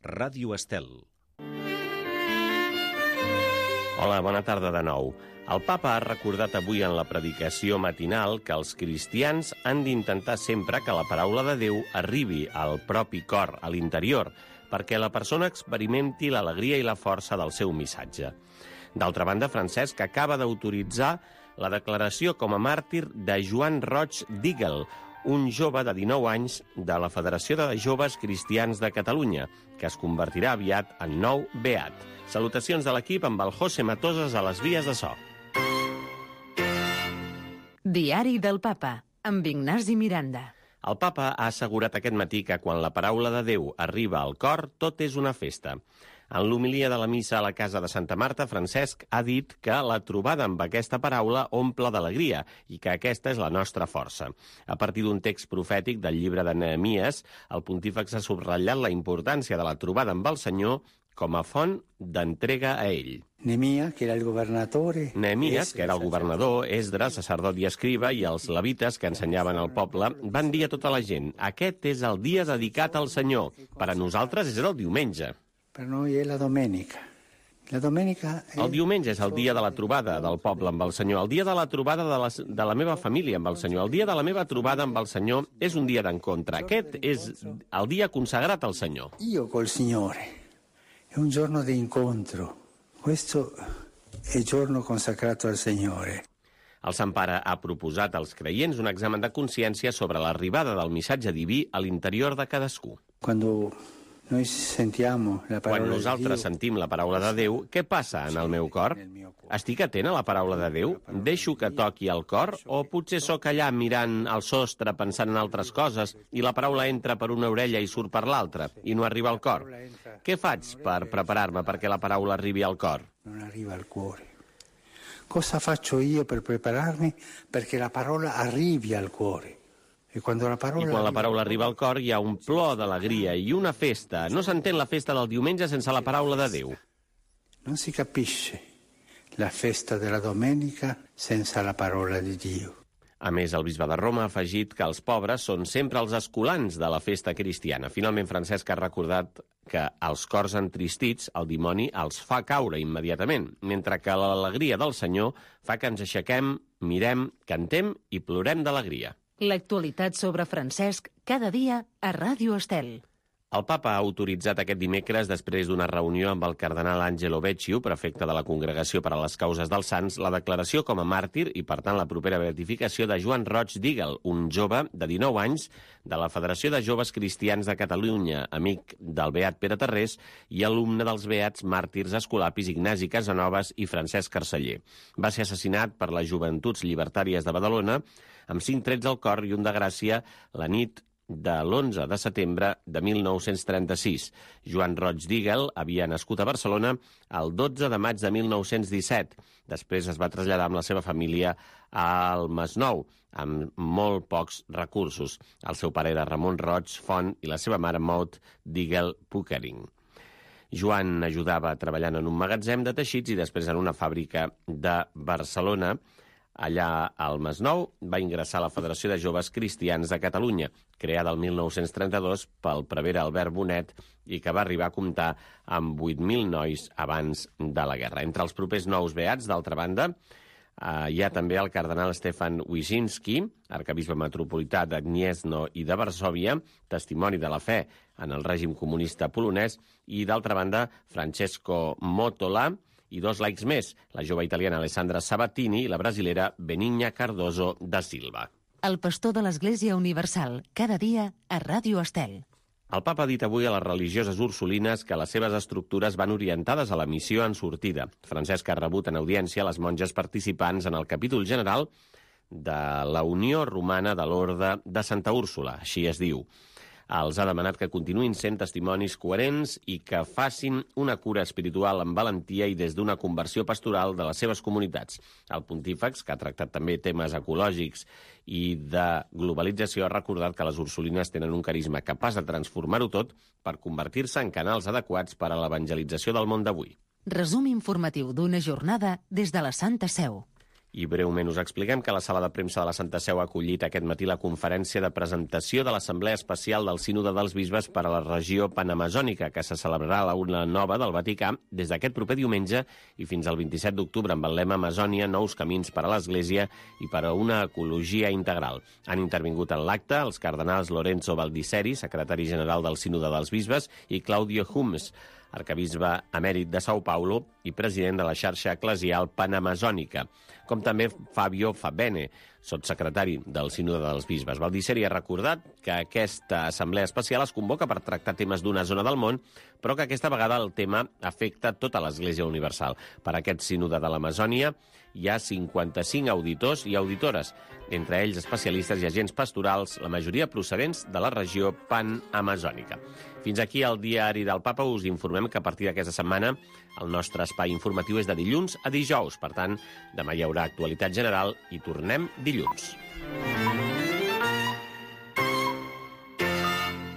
Ràdio Estel. Hola, bona tarda de nou. El papa ha recordat avui en la predicació matinal que els cristians han d'intentar sempre que la paraula de Déu arribi al propi cor, a l'interior, perquè la persona experimenti l'alegria i la força del seu missatge. D'altra banda, Francesc acaba d'autoritzar la declaració com a màrtir de Joan Roig Digel, un jove de 19 anys de la Federació de Joves Cristians de Catalunya, que es convertirà aviat en nou beat. Salutacions de l'equip amb el José Matoses a les vies de so. Diari del Papa, amb Ignasi Miranda. El papa ha assegurat aquest matí que quan la paraula de Déu arriba al cor, tot és una festa. En l'homilia de la missa a la casa de Santa Marta, Francesc ha dit que la trobada amb aquesta paraula omple d'alegria i que aquesta és la nostra força. A partir d'un text profètic del llibre de Nehemies, el pontífex ha subratllat la importància de la trobada amb el Senyor com a font d'entrega a ell. Nehemies, que era el governador, Esdres, sacerdot i escriba, i els levites que ensenyaven al poble, van dir a tota la gent: aquest és el dia dedicat al Senyor. Per a nosaltres és el diumenge. Per noi és la domenica. El diumenge és el dia de la trobada del poble amb el Senyor, el dia de la trobada de la meva família amb el Senyor, el dia de la meva trobada amb el Senyor és un dia d'encontre. Aquest és el dia consagrat al Senyor. Io col Signore. È un giorno di incontro. Questo è il giorno consacrato al Signore. El Sant Pare ha proposat als creients un examen de consciència sobre l'arribada del missatge diví a l'interior de cadascú. Quan nosaltres sentim la paraula de Déu, què passa en el meu cor? Estic atent a la paraula de Déu? Deixo que toqui el cor? O potser sóc allà mirant al sostre pensant en altres coses i la paraula entra per una orella i surt per l'altra i no arriba al cor? Què faig per preparar-me perquè la paraula arribi al cor? Non arriva al cuore. Cosa faccio io per prepararmi perché la parola arrivi al cuore? I quan la paraula arriba al cor hi ha un plor d'alegria i una festa. No s'entén la festa del diumenge sense la paraula de Déu. Non si capisce la festa della domenica senza la parola di Dio. A més, el bisbe de Roma ha afegit que els pobres són sempre els escolans de la festa cristiana. Finalment, Francesc ha recordat que als cors entristits el dimoni els fa caure immediatament, mentre que l'alegria del Senyor fa que ens aixequem, mirem, cantem i plorem d'alegria. L'actualitat sobre Francesc cada dia a Ràdio Estel. El papa ha autoritzat aquest dimecres, després d'una reunió amb el cardenal Angelo Becciu, prefecte de la Congregació per a les Causes dels Sants, la declaració com a màrtir i, per tant, la propera beatificació de Joan Roig Digel, un jove de 19 anys de la Federació de Joves Cristians de Catalunya, amic del beat Pere Tarrés i alumne dels beats màrtirs escolapis Ignasi Casanovas i Francesc Carceller. Va ser assassinat per les Joventuts Llibertàries de Badalona amb 5 trets al cor i un de gràcia la nit de l'11 de setembre de 1936. Joan Roig Digel havia nascut a Barcelona el 12 de maig de 1917. Després es va traslladar amb la seva família al Masnou, amb molt pocs recursos. El seu pare era Ramon Roig Font i la seva mare Maud Digel Puckering. Joan ajudava treballant en un magatzem de teixits i després en una fàbrica de Barcelona. Allà al Masnou va ingressar a la Federació de Joves Cristians de Catalunya, creada el 1932 pel prevere Albert Bonet i que va arribar a comptar amb 8.000 nois abans de la guerra. Entre els propers nous beats, d'altra banda, hi ha també el cardenal Stefan Wyszynski, arquebisbe metropolità de Gniezno i de Varsòvia, testimoni de la fe en el règim comunista polonès, i d'altra banda, Francesco Motola, i 2 laics més, la jove italiana Alessandra Sabatini i la brasilera Benigna Cardoso da Silva. El pastor de l'Església Universal, cada dia a Ràdio Estel. El papa ha dit avui a les religioses ursulines que les seves estructures van orientades a la missió en sortida. Francesc ha rebut en audiència les monges participants en el capítol general de la Unió Romana de l'Orde de Santa Úrsula, així es diu. Els ha demanat que continuïn sent testimonis coherents i que facin una cura espiritual amb valentia i des d'una conversió pastoral de les seves comunitats. El pontífex, que ha tractat també temes ecològics i de globalització, ha recordat que les ursulines tenen un carisma capaç de transformar-ho tot per convertir-se en canals adequats per a l'evangelització del món d'avui. Resum informatiu d'una jornada des de la Santa Seu. I breument us expliquem que la sala de premsa de la Santa Seu ha acollit aquest matí la conferència de presentació de l'Assemblea Especial del Sínode dels Bisbes per a la regió panamazònica, que se celebrarà a la Una Nova del Vaticà des d'aquest proper diumenge i fins al 27 d'octubre amb el lema Amazònia, nous camins per a l'Església i per a una ecologia integral. Han intervingut en l'acte els cardenals Lorenzo Baldisseri, secretari general del Sínode dels Bisbes, i Claudio Humes, arcabisbe emèrit de São Paulo i president de la xarxa eclesial panamazònica, com també Fabio Fabene, sotssecretari del Sínode dels Bisbes. Baldisseri ha recordat que aquesta assemblea especial es convoca per tractar temes d'una zona del món, però que aquesta vegada el tema afecta tota l'Església Universal. Per aquest Sínode de l'Amazònia hi ha 55 auditors i auditores, entre ells especialistes i agents pastorals, la majoria procedents de la regió panamazònica. Fins aquí el diari del Papa. Us informem que a partir d'aquesta setmana el nostre espai informatiu és de dilluns a dijous. Per tant, demà hi haurà actualitat general i tornem dilluns.